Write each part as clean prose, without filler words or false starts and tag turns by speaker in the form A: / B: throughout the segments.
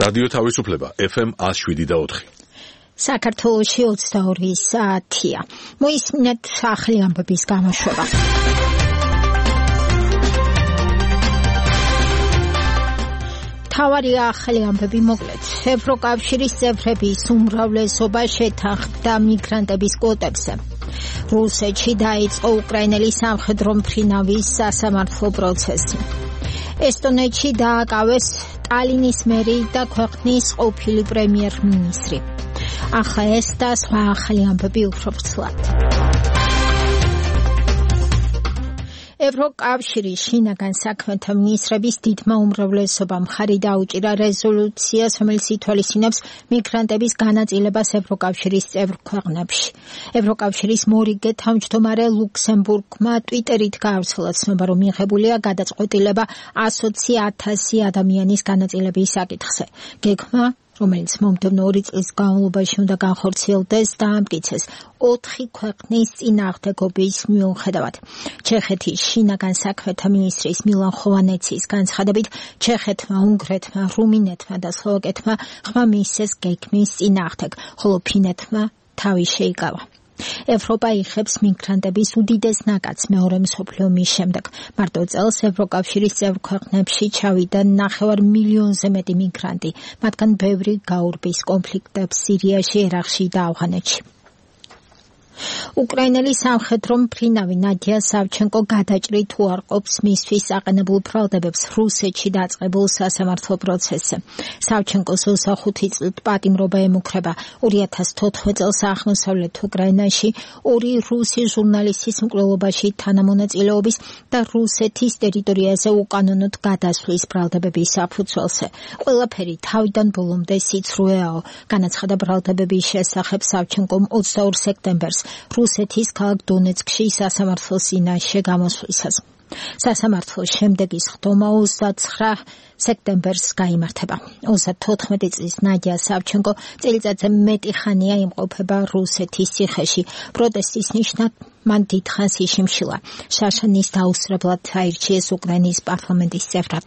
A: რადიო თავისუფლება FM 107.4.
B: საქართველოში 22 საათია. მოისმინეთ ახალი ამბების გამოშვება. თავარი ახალი ამბები მოკლედ. ევროკავშირის წევრების უმრავლესობა შეთანხმდა მიგრანტების კვოტებზე. რუსეთში დაიწყო უკრაინელი სამხედრო მფრინავის სასამართლო პროცესი. ესტონეთში დააკავეს ტალინის მერი და ქვეყნის ყოფილი პრემიერ-მინისტრი. ახლა ეს და სხვა ახალი ამბები უფრო ვრცლად. ევროკავშირის შინაგან საქმეთა მინისტრების დიდმა უმრავლესობამ ხარი დაუჭირა რეზოლუციას, რომელიც ითვალისწინებს მიგრანტების განაწილებას ევროკავშირის წევრ ქვეყნებში. ევროკავშირის მორიგე თავმჯდომარე ლუქსემბურგმა ტვიტერით გაავრცელა ცნობა, რომ მიღებულია გადაწყვეტილება 120,000 ადამიანის განაწილების საკითხზე. გეგმა, რომელიც მომდევნო 2 წლის განმავლობაში უნდა განხორციელდეს, დაამტკიცეს 4 ქვეყნის წინააღმდეგობის მიუხედავად. ჩეხეთის შინაგან საქმეთა მინისტრის მილან ხოვანეცის განცხადებით, ჩეხეთმა, უნგრეთმა, რუმინეთმა და სლოვაკეთმა ხმა მისცეს გეგმის წინააღმდეგ, ხოლო ფინეთმა თავი შეიკავა. ევროპა იღებს მიგრანტების უდიდეს ნაკადს მეორე მსოფლიო ომის შემდეგ. მარტო წელს ევროკავშირის წევრ ქვეყნებში ჩავიდა 9 მილიონზე მეტი მიგრანტი, მათგან ბევრი გაურბის კონფლიქტებს სირიაში, ერაყში და ავღანეთში. უკრაინელი სამხედრო მფრინავი ნადია სავჩენკო გადაჭრით უარყოფს მისთვის აყენებულ ბრალდებებს რუსეთში დაწყებულ სასამართლო პროცესზე. სავჩენკოს 25 წლით პატიმრობა ემუქრება. 2014 წელს აღმოსავლეთ უკრაინაში 2 რუსი ჟურნალისტის მკვლელობაში თანამონაწილეობის და რუსეთის ტერიტორიაზე უკანონოდ გადასვლის ბრალდებების საფუძველზე. ყველაფერი თავიდან ბოლომდე სიცრუეაო, განაცხადა ბრალდებების შესახებ სავჩენკომ 22 სექტემბერს რუსეთის ქალაქ დონეცკში სასამართლოს წინაშე გამოსვლისას. სასამართლოს შემდეგი სხდომა 29 სექტემბერს გაიმართება. 34 წლის ნადია სავჩენკო წელიწადზე მეტი ხანია იმყოფება რუსეთის ციხეში. პროტესტის ნიშნად მან დიდხანს იშიმშილა. შაშანის დაუსწრებლად აირჩიეს უკრაინის პარლამენტის წევრად.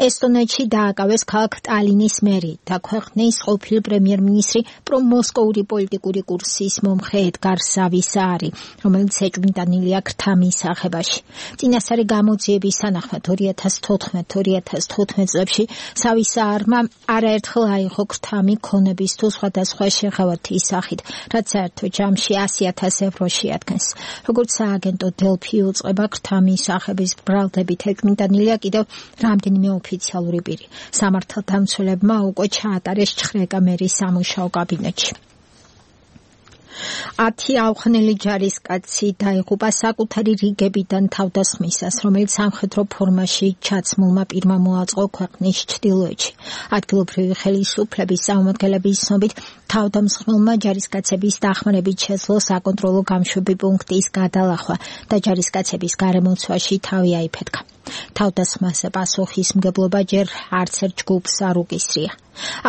B: ესტონეთში დააკავეს ქალაქ ტალინის მერი და ქვეყნის ყოფილი პრემიერ-მინისტრი პრომოსკოვური პოლიტიკური კურსის მომხრე ედგარ სავისაარი, რომელიც ეჭვმიტანილია ქრთა მისაღებაში. წინასწარი გამოძიების თანახმად 2014-2015 წლებში სავისაარმა არაერთხელ აიღო ქრთა მიქონების თუ სხვადასხვა შეღავათის სახით, რაც საერთო ჯამში 100,000 ევრო შეადგენს. როგორც სააგენტო დელფი უწყება, ქრთა მისაღების ბრალდებით ეჭვმიტანილია კიდევ რამდენიმე ოფიციალური პირი. სამართალდამცველებმა უკვე ჩაატარეს ჩხრეკა მერის სამუშაო კაბინეტში. 10 ავღანელი ჯარისკაცი დაიღუპა საკუთარი რიგებიდან თავდასხმისას, რომელიც სამხედრო ფორმაში ჩაცმულმა პირმა მოაწყო ქვეყნის ჩრდილოეთში. ადგილობრივი ხელისუფლების წარმომადგენლების ცნობით, თავდამსხმელმა ჯარისკაცების დახმარებით შეძლო საკონტროლო გამშვები პუნქტის გადალახვა და ჯარისკაცების გარემოცვაში თავი აიფეთქა. თავდასხმაზე პასუხისმგებლობა ჯერ არც ერთ ჯგუფს არ უკისრია.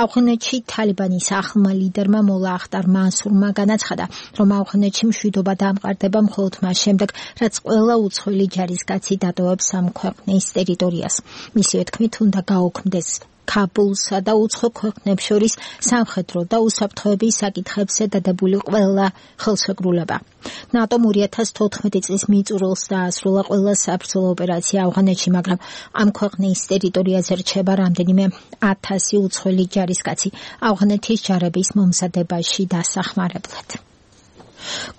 B: ავღანეთში თალიბანის ახლმა ლიდერმა მოლა ახტარ მანსურმა განაცხადა, რომ ავღანეთში მშვიდობა დამყარდება მხოლოდ მას შემდეგ, რაც ყველა უცხოელი ჯარისკაცი დატოვებს ამ ქვეყნის ტერიტორიას. მისივე თქმით, უნდა გაუქმდეს ქაბულსა და უცხო ქვეყნებს შორის სამხედრო და უსაფრთხოების საკითხებზე დადებული ყველა ხელშეკრულება. ნატომ 2014 წლის მიწურულს დაასრულა ყველა საბრძოლო ოპერაცია ავღანეთში, მაგრამ ამ ქვეყნის ტერიტორიაზე რჩება რამდენიმე 1000 უცხოელი ჯარისკაცი ავღანეთის ჯარების მომზადებაში დასახმარებლად.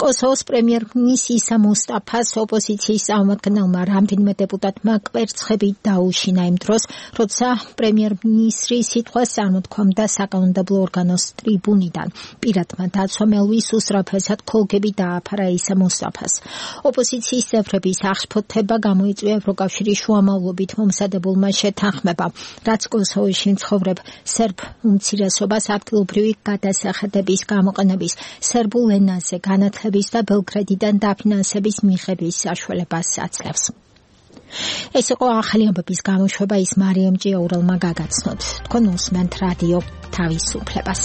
B: კოსოვოს პრემიერ-მინისტრი ისა მუსტაფას ოპოზიციის წარმომადგენელმა რამდენიმე დეპუტატმა კვერცხებით დაუშინა იმ დროს, როცა პრემიერ-მინისტრი სიტყვას წარმოთქვამდა საკანონმდებლო ორგანოს ტრიბუნიდან. პირადმა დაცვამ ელვის უსწრაფესად ქოლგები დააფარა ისა მუსტაფას. ოპოზიციის წევრების აღშფოთება გამოიწვია ევროკავშირის შუამავლობით მომზადებულმა შეთანხმებამ, რაც კოსოვოში მცხოვრებ სერბ უმცირესობას ადგილობრივი გადასახადების გამოყენების, სერბულ ენაზე განათლების და ბელგრადიდან დაფინანსების მიღების საშუალებას აძლევს. ეს იყო ახალი ამბების გამოშვება, ის მარიამ ჭიაურელმა გაგაცნოთ. თქვენ უსმენთ რადიო თავისუფლებას.